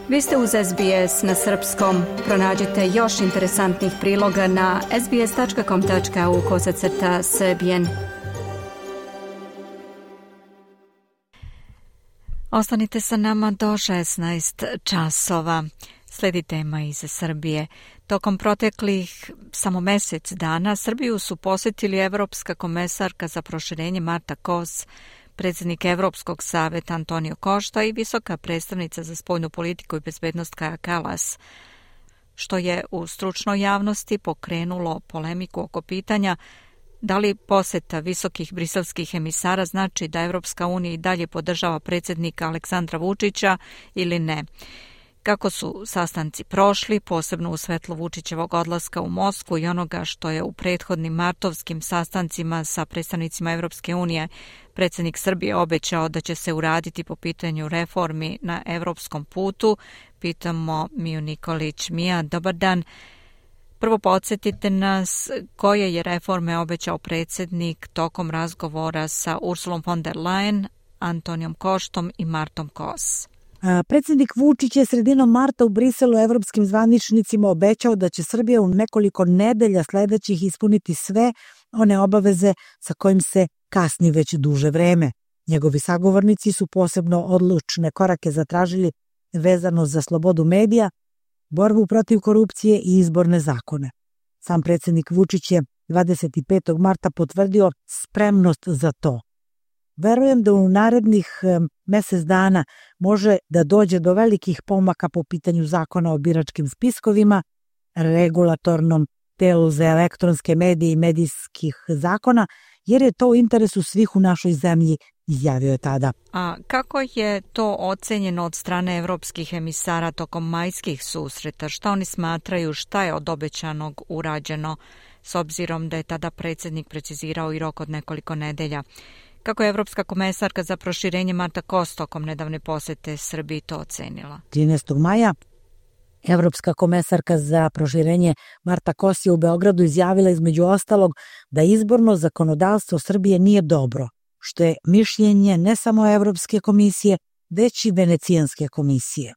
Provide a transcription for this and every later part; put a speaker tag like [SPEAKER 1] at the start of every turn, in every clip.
[SPEAKER 1] Vi ste uz SBS na srpskom. Pronađite još interesantnih priloga na sbs.com.au/srbijen. Ostanite sa nama do 16 časova. Slijedi tema iz Srbije. Tokom proteklih samo mjesec dana Srbiju su posjetili Evropska komesarka za proširenje Marta Kos, predsjednik Evropskog saveta Antonio Costa i visoka predstavnica za spoljnu politiku i bezbednost Kaja Kallas, što je u stručnoj javnosti pokrenulo polemiku oko pitanja da li posjeta visokih briselskih emisara znači da Evropska unija i dalje podržava predsjednika Aleksandra Vučića ili ne. Kako su sastanci prošli, posebno u svetlu Vučićevog odlaska u Moskvu i onoga što je u prethodnim martovskim sastancima sa predstavnicima Evropske unije predsjednik Srbije obećao da će se uraditi po pitanju reformi na evropskom putu, pitamo Miju Nikolić. Mija, dobar dan. Prvo podsjetite nas koje je reforme obećao predsjednik tokom razgovora sa Ursulom von der Leyen, Antonijom Koštom i Martom Kos.
[SPEAKER 2] Predsjednik Vučić je sredinom marta u Briselu evropskim zvaničnicima obećao da će Srbija u nekoliko nedelja sljedećih ispuniti sve one obaveze sa kojim se kasni već duže vreme. Njegovi sagovornici su posebno odlučne korake zatražili vezano za slobodu medija, borbu protiv korupcije i izborne zakone. Sam predsjednik Vučić je 25. marta potvrdio spremnost za to. Verujem da u narednih mjesec dana može da dođe do velikih pomaka po pitanju zakona o biračkim spiskovima, regulatornom telu za elektronske medije i medijskih zakona, jer je to u interesu svih u našoj zemlji, izjavio je tada.
[SPEAKER 1] A kako je to ocenjeno od strane evropskih emisara tokom majskih susreta? Šta oni smatraju, šta je od obećanog urađeno, s obzirom da je tada predsjednik precizirao i rok od nekoliko nedelja? Kako je Evropska komesarka za proširenje Marta Kos tokom nedavne posjete Srbiji to ocenila?
[SPEAKER 2] 13. maja Evropska komesarka za proširenje Marta Kos je u Beogradu izjavila između ostalog da izborno zakonodavstvo Srbije nije dobro, što je mišljenje ne samo Evropske komisije, već i Venecijanske komisije.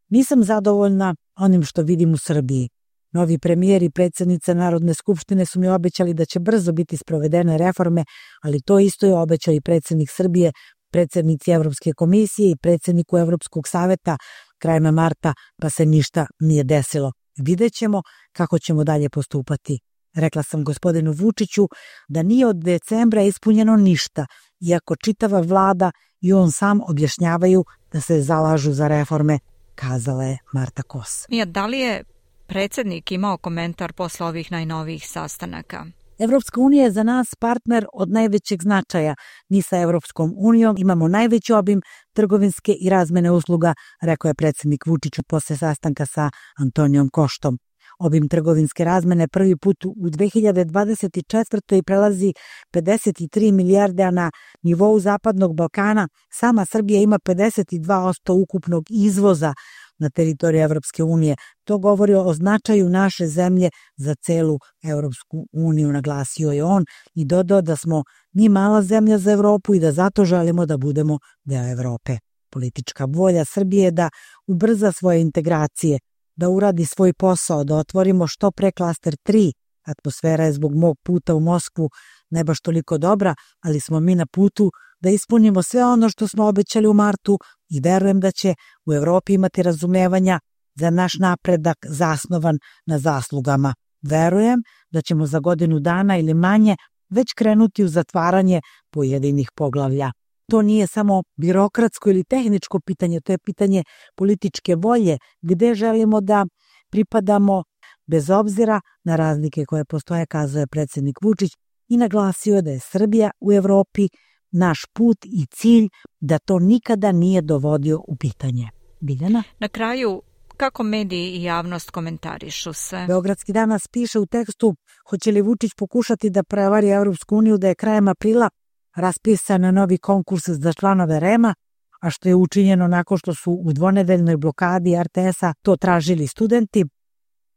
[SPEAKER 2] Nisam zadovoljna onim što vidim u Srbiji. Novi premijer i predsjednica Narodne skupštine su mi obećali da će brzo biti sprovedene reforme, ali to isto je obećao i predsjednik Srbije, predsjednici Evropske komisije i predsjedniku Evropskog saveta krajem marta, pa se ništa nije desilo. Vidjet ćemo kako ćemo dalje postupati. Rekla sam gospodinu Vučiću da nije od decembra ispunjeno ništa, iako čitava vlada i on sam objašnjavaju da se zalažu za reforme, kazala je Marta Kos.
[SPEAKER 1] Mija, da li je predsjednik imao komentar posle ovih najnovijih sastanaka?
[SPEAKER 2] Evropska unija je za nas partner od najvećeg značaja. Mi sa Evropskom unijom imamo najveći obim trgovinske i razmene usluga, rekao je predsjednik Vučić posle sastanka sa Antonijom Koštom. Obim trgovinske razmene prvi put u 2024. prelazi 53 milijarde, a na nivou Zapadnog Balkana sama Srbija ima 52% ukupnog izvoza na teritoriji Evropske unije. To govori o značaju naše zemlje za celu Evropsku uniju, naglasio je on i dodao da smo mi mala zemlja za Evropu i da zato želimo da budemo deo Evrope. Politička volja Srbije je da ubrza svoje integracije, da uradi svoj posao, da otvorimo što pre klaster 3. Atmosfera je zbog mog puta u Moskvu ne baš toliko dobra, ali smo mi na putu da ispunimo sve ono što smo obećali u martu i verujem da će u Evropi imati razumevanja za naš napredak zasnovan na zaslugama. Verujem da ćemo za godinu dana ili manje već krenuti u zatvaranje pojedinih poglavlja. To nije samo birokratsko ili tehničko pitanje, to je pitanje političke volje, gde želimo da pripadamo bez obzira na razlike koje postoje, kazao je predsjednik Vučić i naglasio je da je Srbija u Evropi naš put i cilj, da to nikada nije dovodio u pitanje. Biljana?
[SPEAKER 1] Na kraju, kako mediji i javnost komentarišu sve?
[SPEAKER 2] Beogradski danas piše u tekstu hoće li Vučić pokušati da prevari Evropsku uniju da je krajem aprila raspisan novi konkurs za članove REM-a, a što je učinjeno nakon što su u dvonedeljnoj blokadi RTS-a to tražili studenti.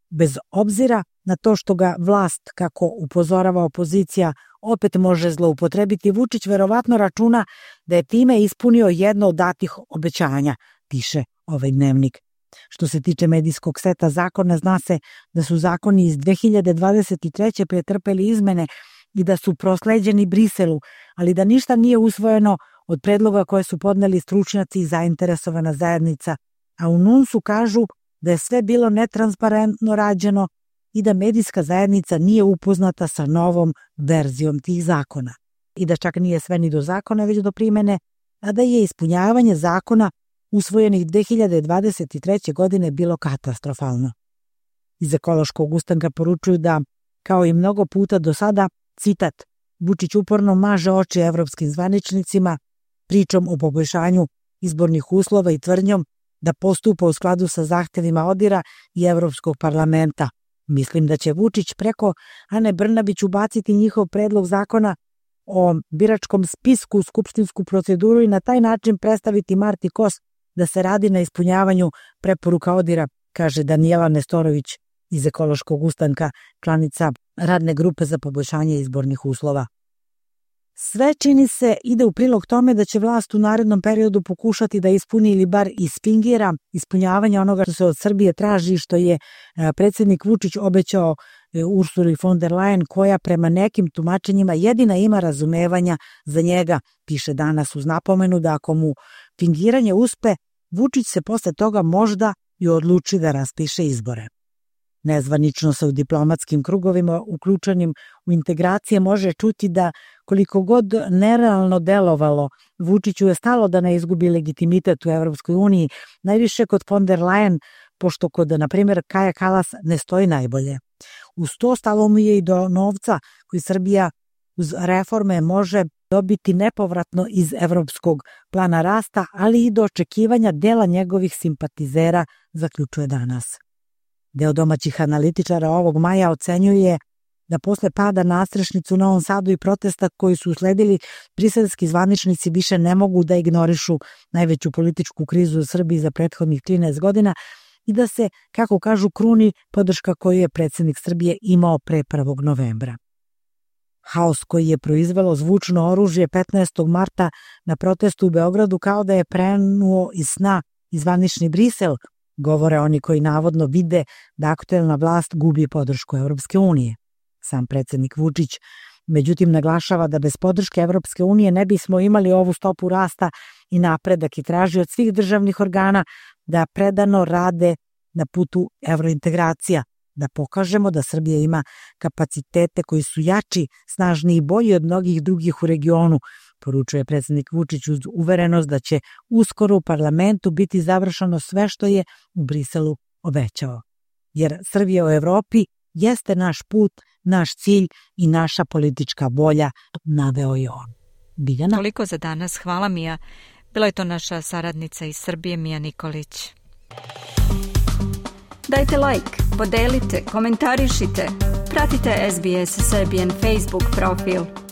[SPEAKER 2] Bez obzira na to što ga vlast, kako upozorava opozicija, opet može zloupotrebiti, Vučić verovatno računa da je time ispunio jedno od datih obećanja, piše ovaj dnevnik. Što se tiče medijskog seta zakona, zna se da su zakoni iz 2023. pretrpeli izmene i da su prosleđeni Briselu, ali da ništa nije usvojeno od predloga koje su podneli stručnjaci i zainteresovana zajednica, a u NUNS-u kažu da je sve bilo netransparentno rađeno i da medijska zajednica nije upoznata sa novom verzijom tih zakona. I da čak nije sve ni do zakona, već do primene, a da je ispunjavanje zakona usvojenih 2023. godine bilo katastrofalno. Iz Ekološkog ustanka poručuju da, kao i mnogo puta do sada, citat, Vučić uporno maže oči evropskim zvaničnicima pričom o poboljšanju izbornih uslova i tvrdnjom da postupa u skladu sa zahtevima ODIR-a i Evropskog parlamenta. Mislim da će Vučić preko Ane Brnabić ubaciti njihov predlog zakona o biračkom spisku u skupštinsku proceduru i na taj način predstaviti Marti Kos da se radi na ispunjavanju preporuka ODIR-a, kaže Danijela Nestorović iz Ekološkog ustanka, članica radne grupe za poboljšanje izbornih uslova. Sve čini se ide u prilog tome da će vlast u narednom periodu pokušati da ispuni ili bar isfingira ispunjavanje onoga što se od Srbije traži, što je predsjednik Vučić obećao Ursuli von der Leyen, koja prema nekim tumačenjima jedina ima razumevanja za njega, piše danas uz napomenu da ako mu fingiranje uspe, Vučić se posle toga možda i odluči da raspiše izbore. Nezvanično se u diplomatskim krugovima uključenim u integracije može čuti da koliko god nerealno delovalo, Vučiću je stalo da ne izgubi legitimitet u Evropskoj uniji, najviše kod von der Leyen, pošto kod, na primjer, Kaja Kallas ne stoji najbolje. Uz to stalo mu je i do novca koji Srbija uz reforme može dobiti nepovratno iz Evropskog plana rasta, ali i do očekivanja dela njegovih simpatizera, zaključuje danas. Deo domaćih analitičara ovog maja ocenjuje da posle pada nastrešnicu u Novom Sadu i protesta koji su usledili, briselski zvaničnici više ne mogu da ignorišu najveću političku krizu u Srbiji za prethodnih 13 godina i da se, kako kažu, kruni podrška koju je predsjednik Srbije imao pre 1. novembra. Haos koji je proizvelo zvučno oružje 15. marta na protestu u Beogradu kao da je prenuo iz sna i zvanični Brisel, govore oni koji navodno vide da aktuelna vlast gubi podršku Evropske unije. Sam predsjednik Vučić, međutim, naglašava da bez podrške Evropske unije ne bismo imali ovu stopu rasta i napredak i traži od svih državnih organa da predano rade na putu evrointegracija, da pokažemo da Srbija ima kapacitete koji su jači, snažniji i bolji od mnogih drugih u regionu, poručuje predsjednik Vučić uz uverenost da će uskoro u parlamentu biti završeno sve što je u Briselu obećao. Jer Srbija u Evropi jeste naš put, naš cilj i naša politička volja, naveo je on. Biljana?
[SPEAKER 1] Toliko za danas. Hvala, Mija. Bila je to naša saradnica iz Srbije, Mija Nikolić.
[SPEAKER 3] Dajte like, podelite, komentarišite. Pratite SBS Serbian Facebook profil.